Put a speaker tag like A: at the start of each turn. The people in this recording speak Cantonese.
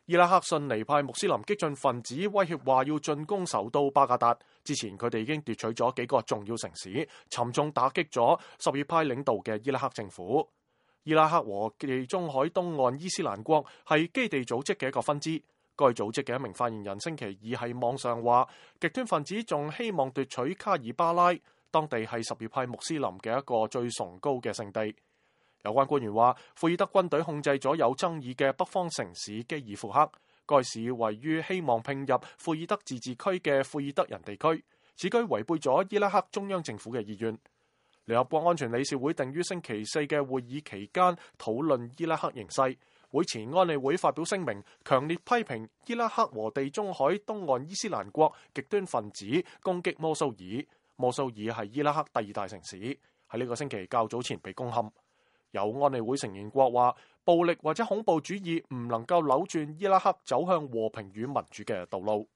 A: 伊拉克遜尼派穆斯林激進分子威脅話要進攻首都巴格達，之前佢哋已經奪取咗幾個重要城市，沉重打擊咗什葉派領導嘅伊拉克政府。伊拉克和地中海東岸伊斯蘭國係基地組織嘅一個分支。該組織嘅一名發言人星期二喺網上話，極端分子仲希望奪取卡爾巴拉，當地係什葉派穆斯林嘅一個最崇高嘅聖地。有關官員話，庫爾德軍隊控制咗有爭議嘅北方城市基爾庫克，該市位於希望併入庫爾德自治區嘅庫爾德人地區，此舉違背咗伊拉克中央政府嘅意願。聯合國安全理事會定於星期四嘅會議期間討論伊拉克形勢，會前安理會發表聲明，強烈批評伊拉克和地中海東岸伊斯蘭國極端分子攻擊摩蘇爾。摩蘇爾係伊拉克第2大城市，喺呢個星期較早前被攻陷。有安理會成員國話，暴力或者恐怖主義唔能夠扭轉伊拉克走向和平與民主嘅道路。